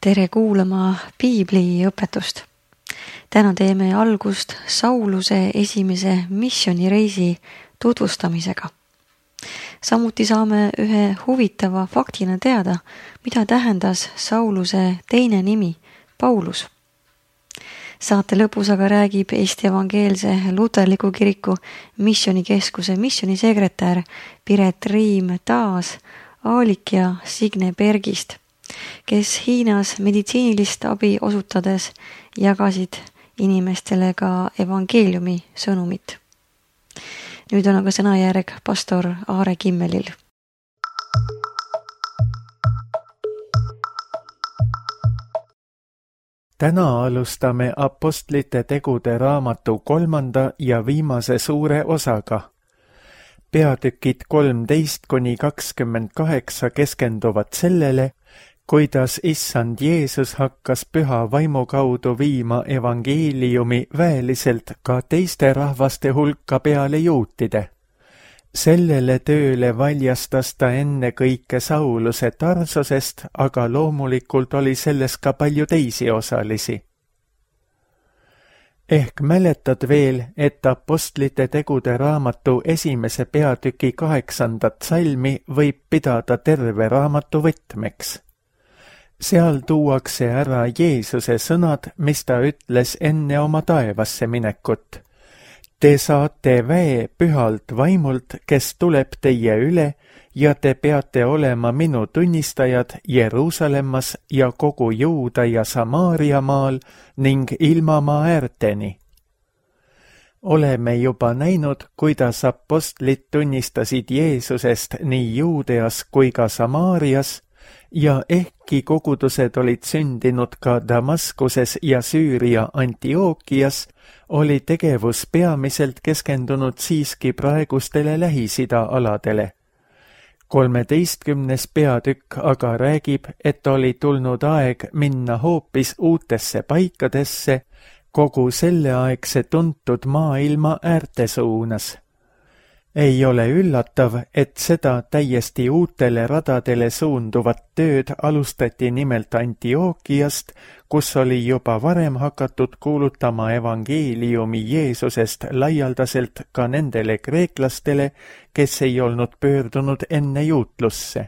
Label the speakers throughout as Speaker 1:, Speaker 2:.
Speaker 1: Tere kuulama piibliõpetust. Täna teeme algust Sauluse esimese missioonireisi tutvustamisega. Samuti saame ühe huvitava faktina teada, mida tähendas Sauluse teine nimi, Paulus. Saate lõpus aga räägib Eesti Evangeelse Luterliku Kiriku missioonikeskuse missionisekretär Piret Riim taas Aalik ja Signe Bergist, kes Hiinas meditsiinilist abi osutades jagasid inimestele ka evangeeliumi sõnumit. Nüüd on aga sõnajärg pastor Aare Kimmelil.
Speaker 2: Täna alustame Apostlite tegude raamatu 3. ja viimase suure osaga. Peatükid 13-28 keskenduvad sellele, kuidas Issand Jeesus hakkas püha vaimu kaudu viima evangeeliumi väeliselt ka teiste rahvaste hulka peale juutide. Sellele tööle valjastas ta enne kõike Sauluse Tarsosest, aga loomulikult oli selles ka palju teisi osalisi. Ehk mäletad veel, et Apostlite tegude raamatu esimese peatüki 8. salmi võib pidada terve raamatu võtmeks. Seal tuuakse ära Jeesuse sõnad, mis ta ütles enne oma taevasse minekut. Te saate väe pühalt vaimult, kes tuleb teie üle, ja te peate olema minu tunnistajad Jeruusalemmas ja kogu Juuda ja Samaaria maal ning ilmamaa äärteni. Oleme juba näinud, kuidas apostlid tunnistasid Jeesusest nii Juudeas kui ka Samaarias, ja ehkki kogudused olid sündinud ka Damaskuses ja Süüria Antiookias, oli tegevus peamiselt keskendunud siiski praegustele Lähis-Ida aladele. 13. peatükk aga räägib, et oli tulnud aeg minna hoopis uutesse paikadesse, kogu selleaegse tuntud maailma äärte suunas. Ei ole üllatav, et seda täiesti uutele radadele suunduvat tööd alustati nimelt Antiookiast, kus oli juba varem hakatud kuulutama evangeeliumi Jeesusest laialdaselt ka nendele kreeklastele, kes ei olnud pöördunud enne juutlusse.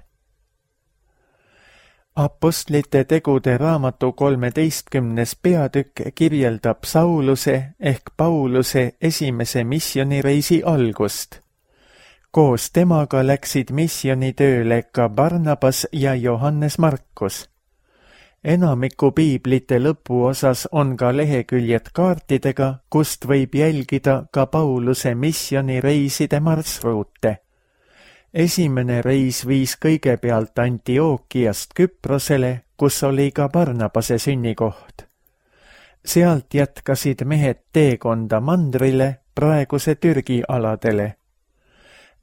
Speaker 2: Apostlite tegude raamatu 13. peatükk kirjeldab Sauluse ehk Pauluse esimese missionireisi algust. Koos temaga läksid missionitööle ka Barnabas ja Johannes Markus. Enamiku piiblite lõpuosas on ka leheküljed kaartidega, kust võib jälgida ka Pauluse missionireiside marsruute. Esimene reis viis kõigepealt Antiookiast Küprosele, kus oli ka Barnabase sünnikoht. Sealt jätkasid mehed teekonda mandrile, praeguse Türgi aladele.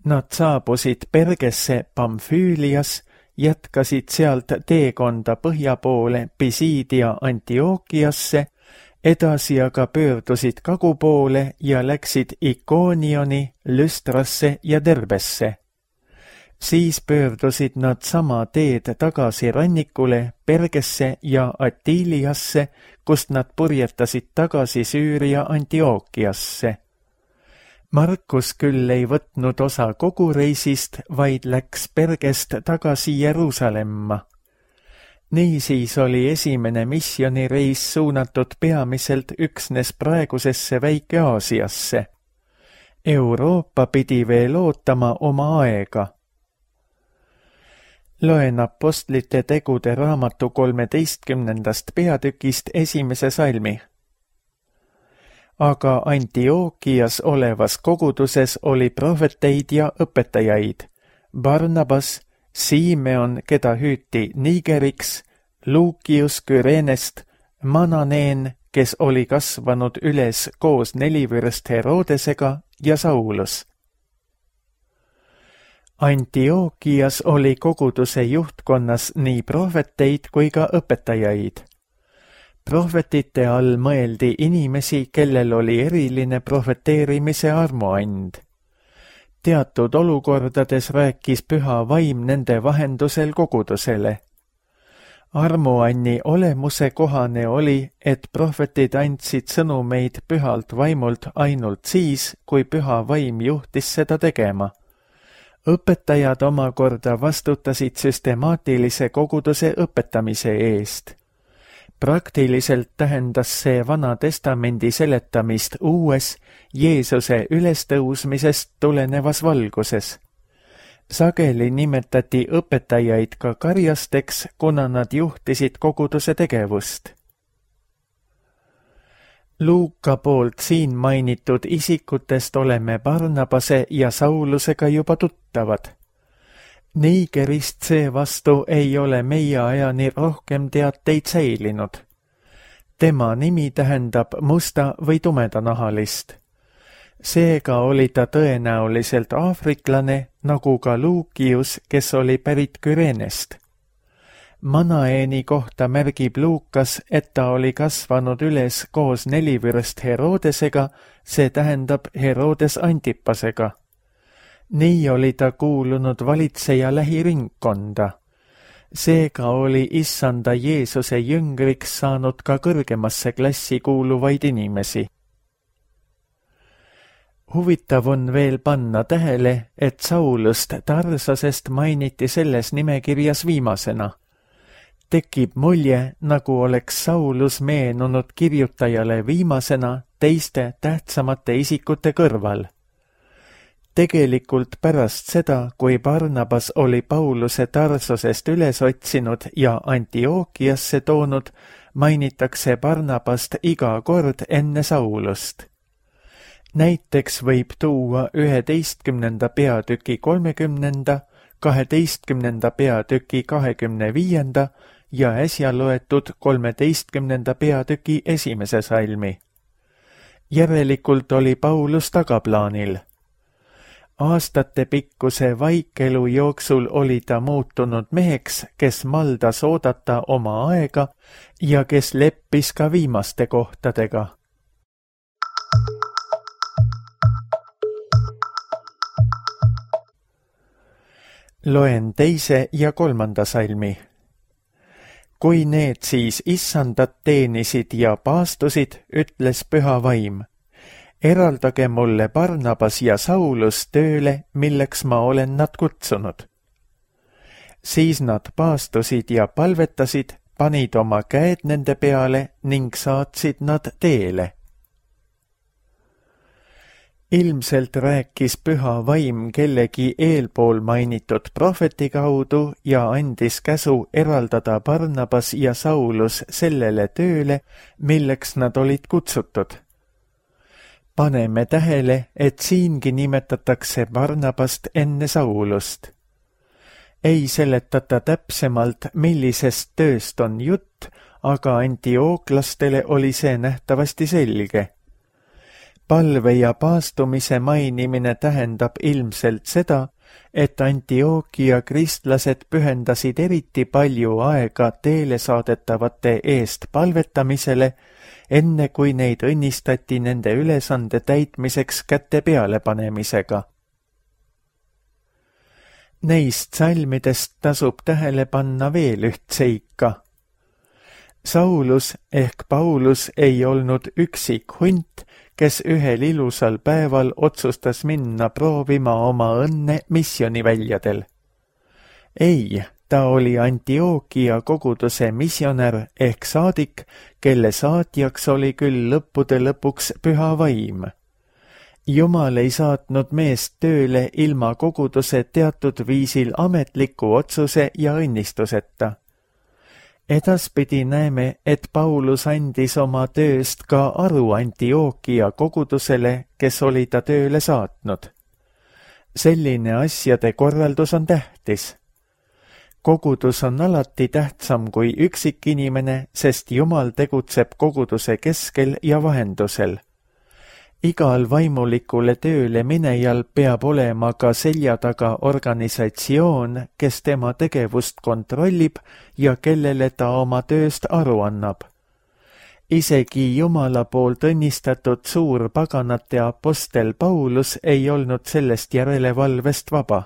Speaker 2: Nad saabusid Pergesse Pamfüülias, jätkasid sealt teekonda põhja poole Pisidia Antiookiasse, edasi aga pöördusid kagu poole ja läksid Ikoonioni, Lüstrasse ja Derbesse. Siis pöördusid nad sama teed tagasi rannikule Pergesse ja Atiliasse, kust nad purjetasid tagasi Süüria Antiookiasse. Markus küll ei võtnud osa kogu reisist, vaid läks Pergest tagasi Jeruusalemma. Niisiis oli esimene missionireis suunatud peamiselt üksnes praegusesse Väike-Aasiasse. Euroopa pidi veel ootama oma aega. Loen Apostlite tegude raamatu 13. peatükist esimese salmi. Aga Antiookias olevas koguduses oli prohveteid ja õpetajaid, Barnabas, Simeon, keda hüüti Nigeriks, Luukius Kyreenest, Mananeen, kes oli kasvanud üles koos nelivürst Herodesega, ja Saulus. Antiookias oli koguduse juhtkonnas nii prohveteid kui ka õpetajaid. Prohvetite all mõeldi inimesi, kellel oli eriline prohveteerimise armuand. Teatud olukordades rääkis püha vaim nende vahendusel kogudusele. armuanni olemuse kohane oli, et prohvetid andsid sõnumeid pühalt vaimult ainult siis, kui püha vaim juhtis seda tegema. Õpetajad omakorda vastutasid süstemaatilise koguduse õpetamise eest. Praktiliselt tähendas see Vana Testamendi seletamist uues, Jeesuse ülestõusmisest tulenevas valguses. Sageli nimetati õpetajaid ka karjasteks, kuna nad juhtisid koguduse tegevust. Luuka poolt siin mainitud isikutest oleme Barnabase ja Saulusega juba tuttavad. Nigerist seevastu ei ole meie ajani rohkem teateid säilinud. Tema nimi tähendab musta või tumedanahalist. Seega oli ta tõenäoliselt aafriklane, nagu ka Luukius, kes oli pärit Kürenest. Manaeni kohta märgib Luukas, et ta oli kasvanud üles koos nelivürst Herodesega, see tähendab Herodes Antipasega. Nii oli ta kuulunud valitseja lähiringkonda. Seega oli issanda Jeesuse jüngriks saanud ka kõrgemasse klassi kuuluvaid inimesi. Huvitav on veel panna tähele, et Saulust Tarsasest mainiti selles nimekirjas viimasena. Tekib mulje, nagu oleks Saulus meenunud kirjutajale viimasena teiste tähtsamate isikute kõrval. Tegelikult pärast seda, kui Barnabas oli Pauluse Tarsosest üles otsinud ja Antiookiasse toonud, mainitakse Barnabast iga kord enne Saulust. Näiteks võib tuua 11. peatüki 30., 12. peatüki 25. ja äsja loetud 13. peatüki 1. salmi. Järelikult oli Paulus tagaplaanil. Aastate pikkuse vaikelu jooksul oli ta muutunud meheks, kes maldas oodata oma aega ja kes leppis ka viimaste kohtadega. Loen 2. ja 3. salmi. Kui need siis issandat teenisid ja paastusid, ütles püha vaim, eraldage mulle Barnabas ja Saulus tööle, milleks ma olen nad kutsunud. Siis nad paastusid ja palvetasid, panid oma käed nende peale ning saatsid nad teele. Ilmselt rääkis püha vaim kellegi eelpool mainitud prohveti kaudu ja andis käsu eraldada Barnabas ja Saulus sellele tööle, milleks nad olid kutsutud. Paneme tähele, et siingi nimetatakse Barnabast enne Saulust. Ei seletata täpsemalt, millisest tööst on jutt, aga antiooklastele oli see nähtavasti selge. Palve ja paastumise mainimine tähendab ilmselt seda, et Antiookia kristlased pühendasid eriti palju aega teele saadetavate eest palvetamisele, enne kui neid õnnistati nende ülesande täitmiseks käte pealepanemisega. Neist salmidest tasub tähele panna veel üht seika. Saulus ehk Paulus ei olnud üksik hunt, kes ühel ilusal päeval otsustas minna proovima oma õnne missioniväljadel. Ei, ta oli Antiookia koguduse missionär ehk saadik, kelle saatjaks oli küll lõppude lõpuks püha vaim. Jumal ei saatnud meest tööle ilma koguduse teatud viisil ametliku otsuse ja õnnistuseta. Edaspidi näeme, et Paulus andis oma tööst ka aru Antiookia kogudusele, kes oli ta tööle saatnud. Selline asjade korraldus on tähtis. Kogudus on alati tähtsam kui üksikinimene, sest Jumal tegutseb koguduse keskel ja vahendusel. Igal vaimulikule tööle minejal peab olema ka selja taga organisatsioon, kes tema tegevust kontrollib ja kellele ta oma tööst aru annab. Isegi Jumala poolt õnnistatud suur paganate apostel Paulus ei olnud sellest järelevalvest vaba.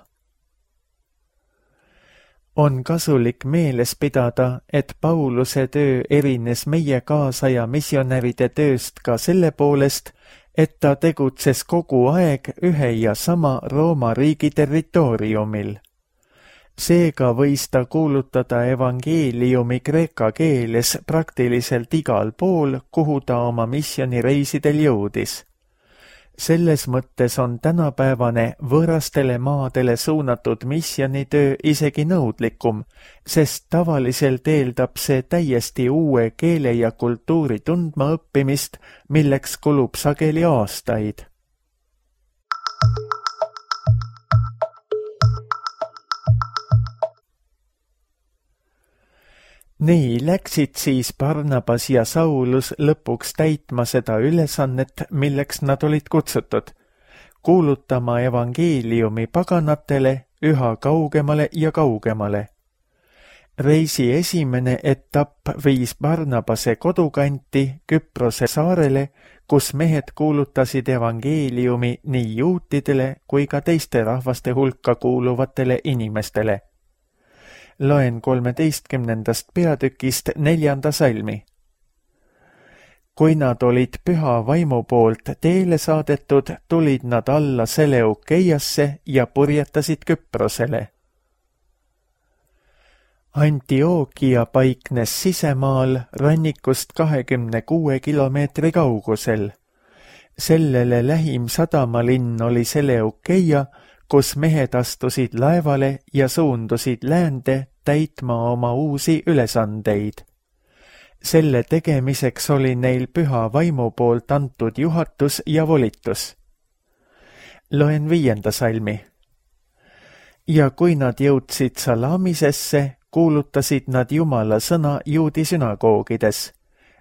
Speaker 2: On kasulik meeles pidada, et Pauluse töö erines meie kaasaja missionäride tööst ka selle poolest, et ta tegutses kogu aeg ühe ja sama Rooma riigi territooriumil. Seega võis ta kuulutada evangeeliumi kreeka keeles praktiliselt igal pool, kuhu ta oma misjonireisidel jõudis. Selles mõttes on tänapäevane võõrastele maadele suunatud missionitöö isegi nõudlikum, sest tavaliselt eeldab see täiesti uue keele ja kultuuri tundma õppimist, milleks kulub sageli aastaid. Nii läksid siis Barnabas ja Saulus lõpuks täitma seda ülesannet, milleks nad olid kutsutud, kuulutama evangeeliumi paganatele üha kaugemale ja kaugemale. Reisi esimene etapp viis Barnabase kodukanti Küprose saarele, kus mehed kuulutasid evangeeliumi nii juutidele kui ka teiste rahvaste hulka kuuluvatele inimestele. Loen 13. peatükist 4. salmi. Kui nad olid püha vaimu poolt teele saadetud, tulid nad alla Seleukeiasse ja purjetasid Küprosele. Antiookia paiknes sisemaal rannikust 26 kilomeetri kaugusel. Sellele lähim sadamalinn oli Seleukeia, kus mehed astusid laevale ja suundusid läände täitma oma uusi ülesandeid. Selle tegemiseks oli neil püha vaimu poolt antud juhatus ja volitus. Loen 5. salmi. Ja kui nad jõudsid Salamisesse, kuulutasid nad Jumala sõna juudi sünagoogides.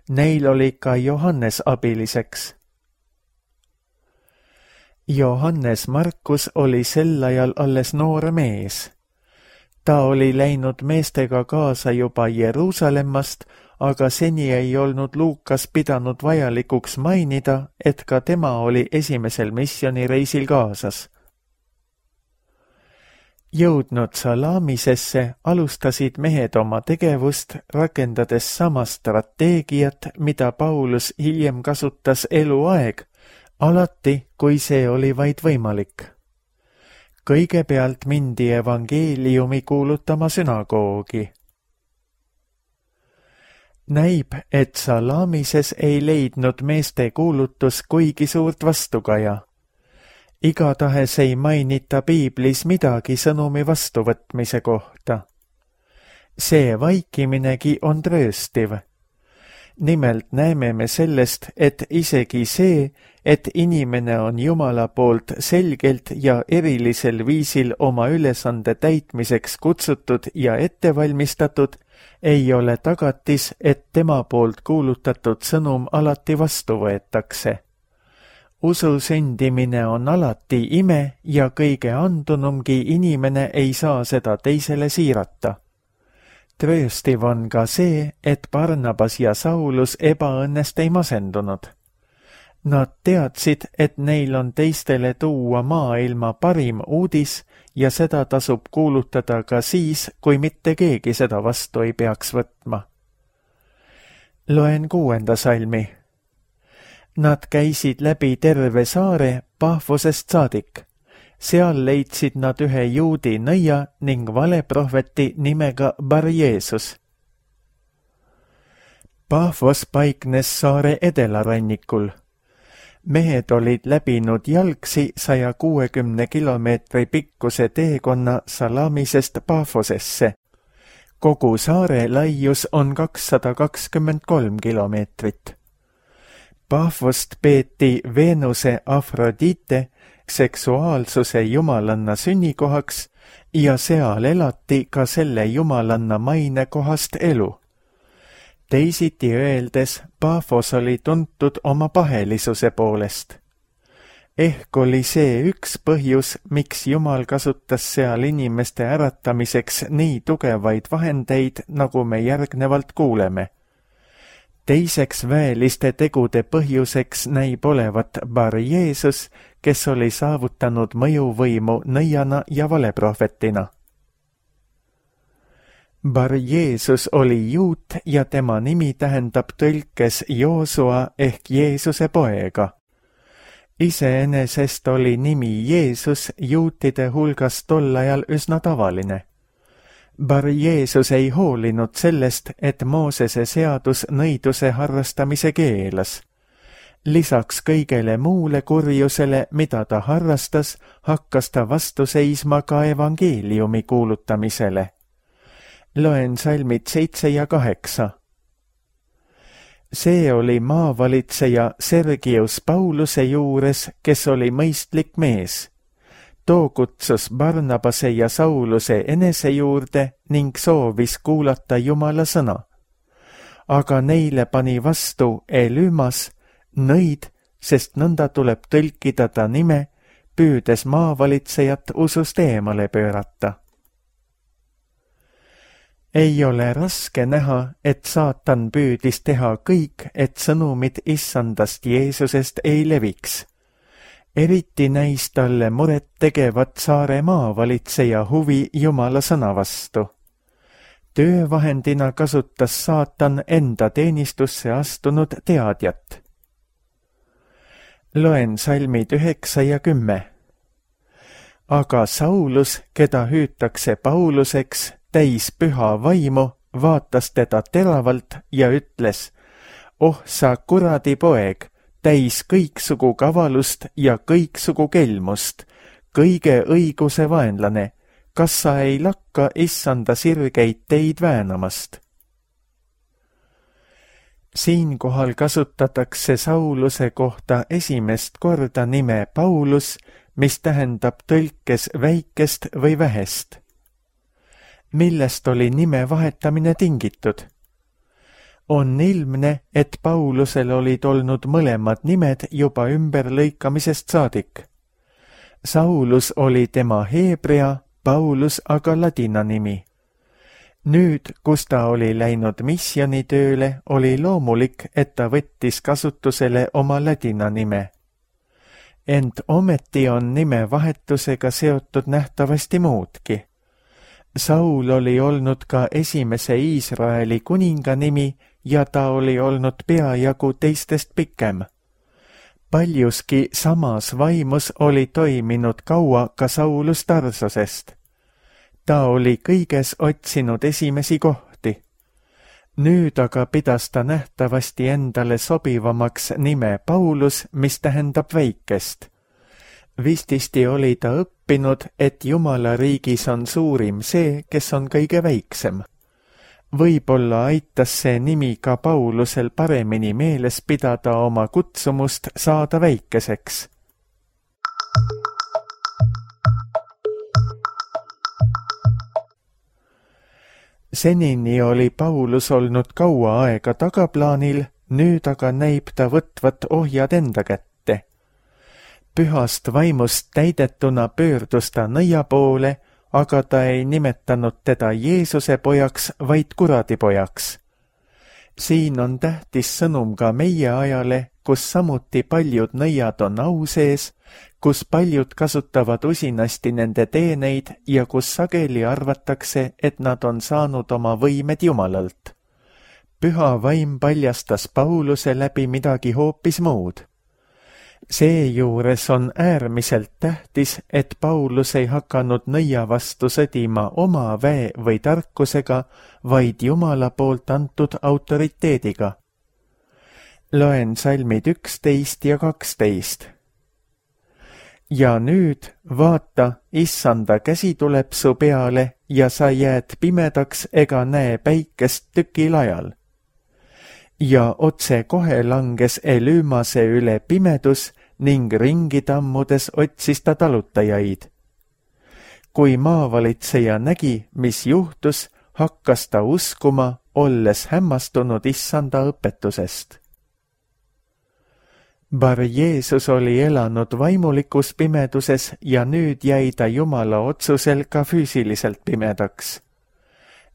Speaker 2: Neil oli ka Johannes abiliseks. Johannes Markus oli sel ajal alles noor mees. Ta oli läinud meestega kaasa juba Jeruusalemmast, aga seni ei olnud Luukas pidanud vajalikuks mainida, et ka tema oli esimesel missionireisil kaasas. Jõudnud Salamisesse alustasid mehed oma tegevust, rakendades sama strateegiat, mida Paulus hiljem kasutas eluaeg, alati, kui see oli vaid võimalik. Kõigepealt mindi evangeeliumi kuulutama sünagoogi. Näib, et Salamises ei leidnud meeste kuulutus kuigi suurt vastukaja. Igatahes ei mainita piiblis midagi sõnumi vastuvõtmise kohta. See vaikiminegi on trööstiv. Nimelt näeme me sellest, et isegi see, et inimene on Jumala poolt selgelt ja erilisel viisil oma ülesande täitmiseks kutsutud ja ettevalmistatud, ei ole tagatis, et tema poolt kuulutatud sõnum alati vastu võetakse. Usu sündimine on alati ime ja kõige andunumgi inimene ei saa seda teisele siirata. Trööstiv on ka see, et Barnabas ja Saulus ebaõnnest ei masendunud. Nad teadsid, et neil on teistele tuua maailma parim uudis ja seda tasub kuulutada ka siis, kui mitte keegi seda vastu ei peaks võtma. Loen 6. salmi. Nad käisid läbi terve saare Pahvosest saadik. Seal leidsid nad ühe juudi nõia ning valeprohveti nimega Bar-Jeesus. Pahvos paiknes saare edelarannikul. Mehed olid läbinud jalgsi 160 kilomeetri pikkuse teekonna Salamisest Pahvosesse. Kogu saare laius on 223 kilomeetrit. Pahvost peeti Veenuse Afrodite seksuaalsuse jumalanna sünnikohaks ja seal elati ka selle jumalanna mainekohast elu. Teisiti öeldes, Pahvos oli tuntud oma pahelisuse poolest. Ehk oli see üks põhjus, miks Jumal kasutas seal inimeste äratamiseks nii tugevaid vahendeid, nagu me järgnevalt kuuleme. Teiseks väeliste tegude põhjuseks näib olevat Bar-Jeesus, kes oli saavutanud mõjuvõimu nõiana ja valeprohvetina. Bar Jeesus oli juut ja tema nimi tähendab tõlkes Joosua ehk Jeesuse poega. Iseenesest oli nimi Jeesus juutide hulgas tol ajal üsna tavaline. Bar Jeesus ei hoolinud sellest, et Moosese seadus nõiduse harrastamise keelas. Lisaks kõigele muule kurjusele, mida ta harrastas, hakkas ta vastu seisma ka evangeeliumi kuulutamisele. Loen salmid 7 ja 8. See oli maavalitseja Sergius Pauluse juures, kes oli mõistlik mees. Too kutsus Barnabase ja Sauluse enese juurde ning soovis kuulata Jumala sõna. Aga neile pani vastu Elümas, nõid, sest nõnda tuleb tõlkida ta nime, püüdes maavalitsejat usust eemale pöörata. Ei ole raske näha, et saatan püüdis teha kõik, et sõnumid issandast Jeesusest ei leviks. Eriti näis talle muret tegevat saare maavalitseja huvi Jumala sõna vastu. Töövahendina kasutas saatan enda teenistusse astunud teadjat. Loen salmid 9 ja 10. Aga Saulus, keda hüütakse Pauluseks, täis püha vaimu, vaatas teda teravalt ja ütles: "Oh sa kuradi poeg, täis kõiksugu kavalust ja kõiksugu kelmust, kõige õiguse vaenlane, kas sa ei lakka issanda sirgeid teid väänamast?" Siinkohal kasutatakse Sauluse kohta esimest korda nime Paulus, mis tähendab tõlkes väikest või vähest. Millest oli nime vahetamine tingitud? On ilmne, et Paulusel olid olnud mõlemad nimed juba ümberlõikamisest saadik. Saulus oli tema heebrea, Paulus aga ladina nimi. Nüüd, kus ta oli läinud missionitööle, oli loomulik, et ta võttis kasutusele oma ladina nime. Ent ometi on nimevahetusega seotud nähtavasti muudki. Saul oli olnud ka esimese Iisraeli kuninga nimi ja ta oli olnud peajagu teistest pikem. Paljuski samas vaimus oli toiminud kaua ka Saulus Tarsosest. Ta oli kõiges otsinud esimesi kohti. Nüüd aga pidas ta nähtavasti endale sobivamaks nime Paulus, mis tähendab väikest. Vististi oli ta õppinud, et Jumala riigis on suurim see, kes on kõige väiksem. Võib-olla aitas see nimi ka Paulusel paremini meeles pidada oma kutsumust saada väikeseks. Senini oli Paulus olnud kaua aega tagaplaanil, nüüd aga näib ta võtvat ohjad enda kätte. Pühast vaimust täidetuna pöördus ta nõia poole, aga ta ei nimetanud teda Jeesuse pojaks, vaid kuradipojaks. Siin on tähtis sõnum ka meie ajale, kus samuti paljud nõiad on au sees, kus paljud kasutavad usinasti nende teeneid ja kus sageli arvatakse, et nad on saanud oma võimed Jumalalt. Püha vaim paljastas Pauluse läbi midagi hoopis muud. Seejuures on äärmiselt tähtis, et Paulus ei hakanud nõia vastu sõdima oma väe või tarkusega, vaid Jumala poolt antud autoriteediga. Loen salmid 11 ja 12. Ja nüüd, vaata, issanda käsi tuleb su peale ja sa jääd pimedaks ega näe päikest tükil ajal. Ja otse kohe langes Elümase üle pimedus ning ringi tammudes otsis ta talutajaid. Kui maavalitseja nägi, mis juhtus, hakkas ta uskuma, olles hämmastunud issanda õpetusest. Bar Jeesus oli elanud vaimulikus pimeduses ja nüüd jäi ta Jumala otsusel ka füüsiliselt pimedaks.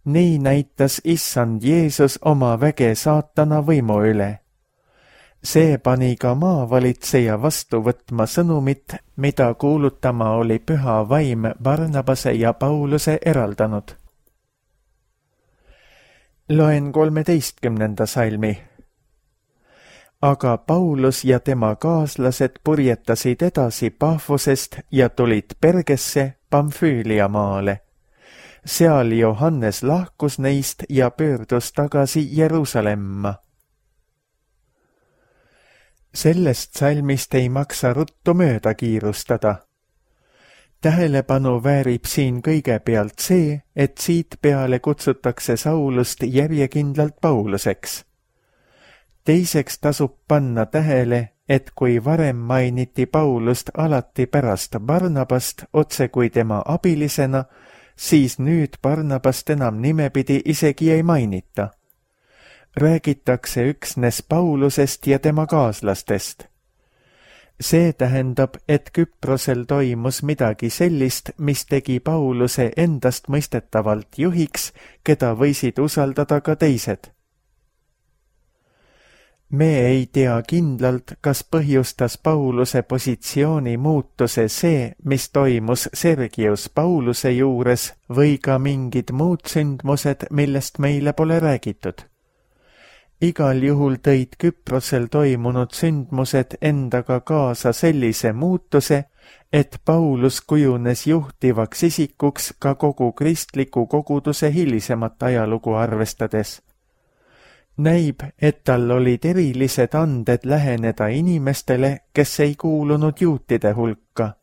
Speaker 2: Nii näitas issand Jeesus oma väge saatana võimu üle. See pani ka maavalitseja vastu võtma sõnumit, mida kuulutama oli püha vaim Barnabase ja Pauluse eraldanud. Loen 13. salmi. Aga Paulus ja tema kaaslased purjetasid edasi Pafosest ja tulid Pergesse Pamfüülia maale. Seal Johannes lahkus neist ja pöördus tagasi Jeruusalemma. Sellest salmist ei maksa ruttu mööda kiirustada. Tähelepanu väärib siin kõigepealt see, et siit peale kutsutakse Saulust järjekindlalt Pauluseks. Teiseks tasub panna tähele, et kui varem mainiti Paulust alati pärast Barnabast otse kui tema abilisena, siis nüüd Barnabast enam nimepidi isegi ei mainita. Räägitakse üksnes Paulusest ja tema kaaslastest. See tähendab, et Küprosel toimus midagi sellist, mis tegi Pauluse endast mõistetavalt juhiks, keda võisid usaldada ka teised. Me ei tea kindlalt, kas põhjustas Pauluse positsiooni muutuse see, mis toimus Sergius Pauluse juures või ka mingid muud sündmused, millest meile pole räägitud. Igal juhul tõid Küprosel toimunud sündmused endaga kaasa sellise muutuse, et Paulus kujunes juhtivaks isikuks ka kogu kristliku koguduse hilisemat ajalugu arvestades. Näib, et tal olid erilised anded läheneda inimestele, kes ei kuulunud juutide hulka.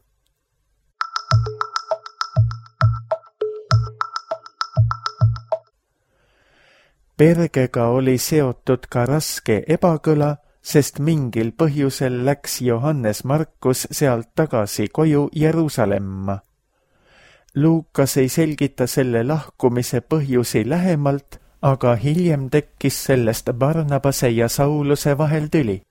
Speaker 2: Pergega oli seotud ka raske ebakõla, sest mingil põhjusel läks Johannes Markus sealt tagasi koju Jeruusalemma. Luukas ei selgita selle lahkumise põhjusi lähemalt, aga hiljem tekkis sellest Barnabase ja Sauluse vahel tüli.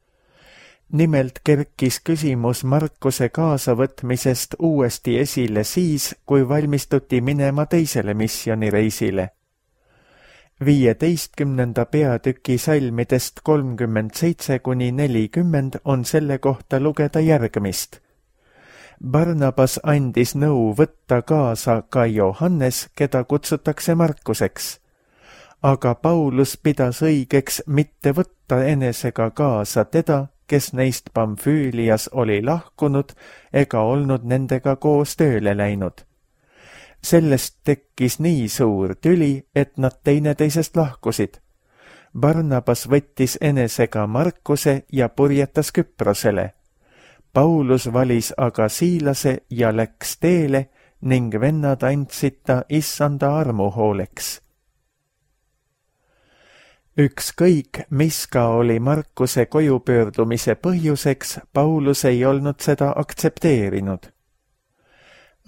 Speaker 2: Nimelt kerkis küsimus Markuse kaasavõtmisest uuesti esile siis, kui valmistuti minema teisele missioonireisile. 15. peatüki salmidest 37–40 on selle kohta lugeda järgmist. Barnabas andis nõu võtta kaasa ka Johannes, keda kutsutakse Markuseks. Aga Paulus pidas õigeks mitte võtta enesega kaasa teda, kes neist Pamfüülias oli lahkunud ega olnud nendega koos tööle läinud. Sellest tekkis nii suur tüli, et nad teineteisest lahkusid. Barnabas võttis enesega Markuse ja purjetas Küprosele. Paulus valis aga Siilase ja läks teele ning vennad andsid ta issanda armu hooleks. Ükskõik, mis ka oli Markuse koju pöördumise põhjuseks, Paulus ei olnud seda aktsepteerinud.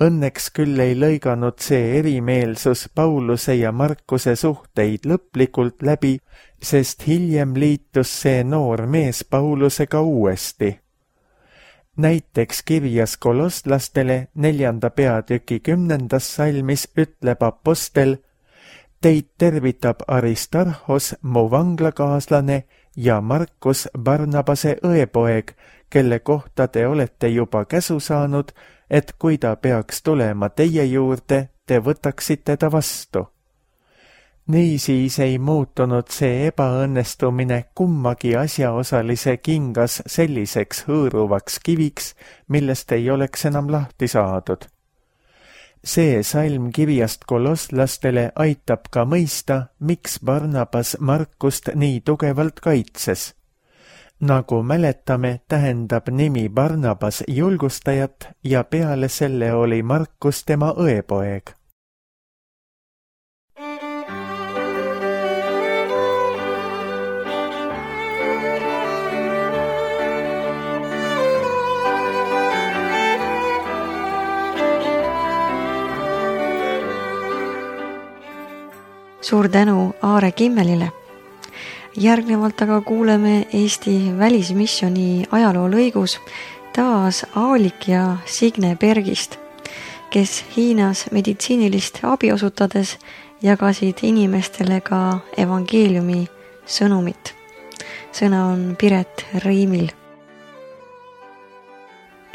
Speaker 2: Õnneks küll ei lõiganud see erimeelsus Pauluse ja Markuse suhteid lõplikult läbi, sest hiljem liitus see noor mees Paulusega uuesti. Näiteks kirjas kolosslastele 4. peatüki 10. salmis ütleb apostel: Teid tervitab Aristarhos, mu vanglakaaslane, ja Markus, Barnabase õepoeg, kelle kohta te olete juba käsu saanud, et kui ta peaks tulema teie juurde, te võtaksite ta vastu. Niisiis ei muutunud see ebaõnnestumine kummagi asjaosalise kingas selliseks hõõruvaks kiviks, millest ei oleks enam lahti saadud. See salm kirjast kolosslastele aitab ka mõista, miks Barnabas Markust nii tugevalt kaitses. Nagu mäletame, tähendab nimi Barnabas julgustajat ja peale selle oli Markus tema õepoeg.
Speaker 1: Suur tänu Aare Kimmelile. Järgnevalt aga kuuleme Eesti välismisjoni ajaloo lõigus taas Aalik ja Signe Bergist, kes Hiinas meditsiinilist abi osutades jagasid inimestele ka evangeeliumi sõnumit. Sõna on Piret Riimil.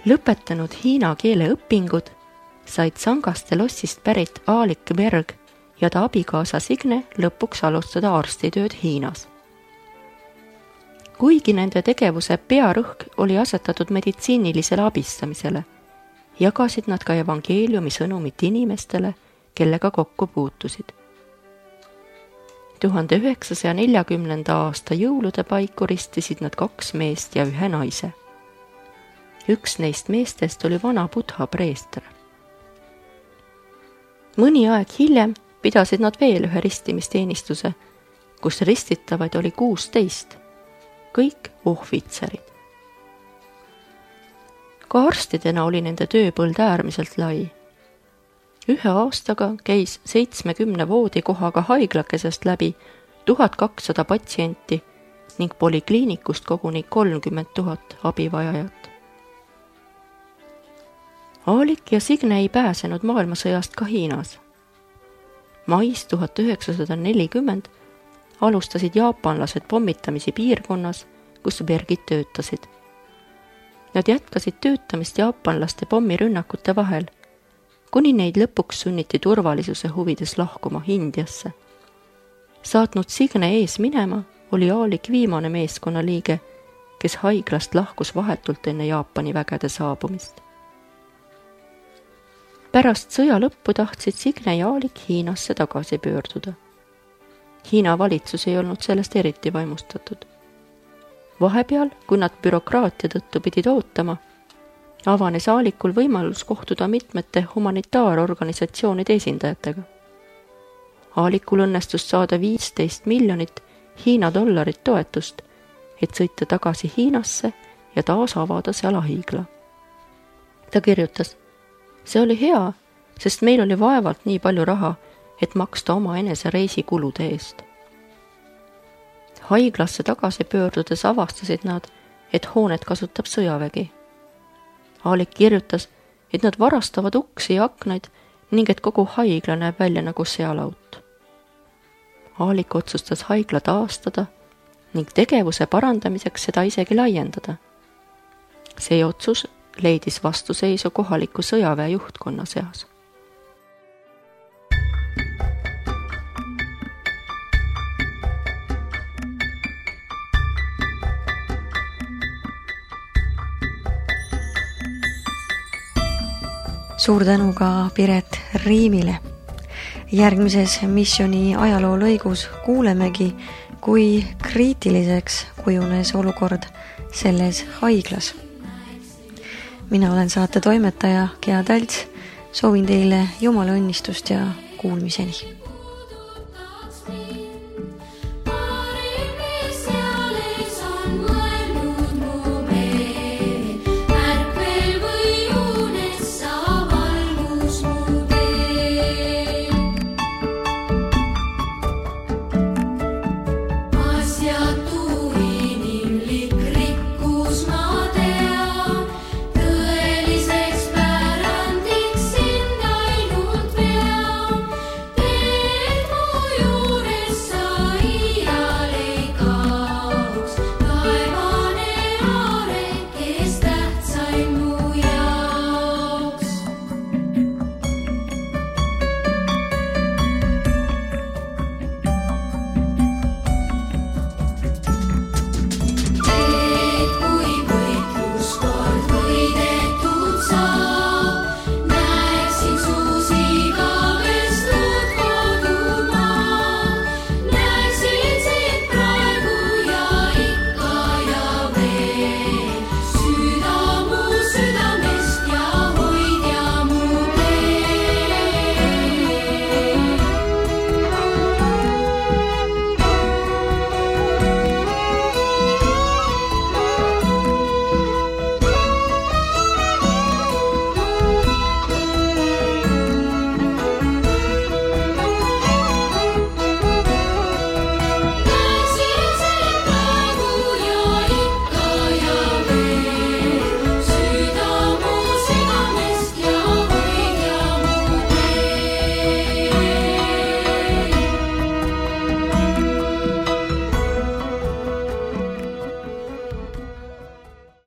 Speaker 3: Lõpetanud hiina keele õpingud said Sangaste lossist pärit Aalik Berg ja ta abikaasa Signe lõpuks alustada arstitööd Hiinas. Kuigi nende tegevuse pearõhk oli asetatud meditsiinilisele abistamisele, jagasid nad ka evangeeliumi sõnumit inimestele, kellega kokku puutusid. 1940. aasta jõulude paiku ristisid nad 2 meest ja 1 naise. Üks neist meestest oli vana Budha preester. Mõni aeg hiljem pidasid nad veel ühe ristimisteenistuse, kus ristitavaid oli 16, kõik ohvitserid. Ka arstidena oli nende tööpõld äärmiselt lai. 1 aastaga käis 70 voodikohaga haiglakesest läbi 1200 patsienti ning polikliinikust koguni 30 000 abivajajat. Aalik ja Signe ei pääsenud maailmasõjast ka Hiinas. Mais 1940 alustasid jaapanlased pommitamisi piirkonnas, kus Bergid töötasid. Nad jätkasid töötamist jaapanlaste pommirünnakute vahel, kuni neid lõpuks sunniti turvalisuse huvides lahkuma Indiasse. Saatnud Signe ees minema oli Aalik viimane meeskonnaliige, kes haiglast lahkus vahetult enne Jaapani vägede saabumist. Pärast sõja lõppu tahtsid Signe ja Aalik Hiinasse tagasi pöörduda. Hiina valitsus ei olnud sellest eriti vaimustatud. Vahepeal, kui nad bürokraatia tõttu pidid ootama, avanes Aalikul võimalus kohtuda mitmete humanitaarorganisatsioonide esindajatega. Aalikul õnnestus saada 15 miljonit Hiina dollarit toetust, et sõita tagasi Hiinasse ja taas avada seal haigla. Ta kirjutas: see oli hea, sest meil oli vaevalt nii palju raha, et maksta oma enese reisikulude eest. Haiglasse tagasi pöördudes avastasid nad, et hoonet kasutab sõjavägi. Aalik kirjutas, et nad varastavad uksi ja aknaid ning et kogu haigla näeb välja nagu sealaut. Aalik otsustas haigla taastada ning tegevuse parandamiseks seda isegi laiendada. See otsus leidis vastuseisu kohaliku sõjaväe juhtkonna seas.
Speaker 1: Suur tänu ka Piret Riimile. Järgmises missiooni ajaloo lõigus kuulemegi, kui kriitiliseks kujunes olukord selles haiglas. Mina olen saate toimetaja Gea Talts, soovin teile Jumala õnnistust ja kuulmiseni.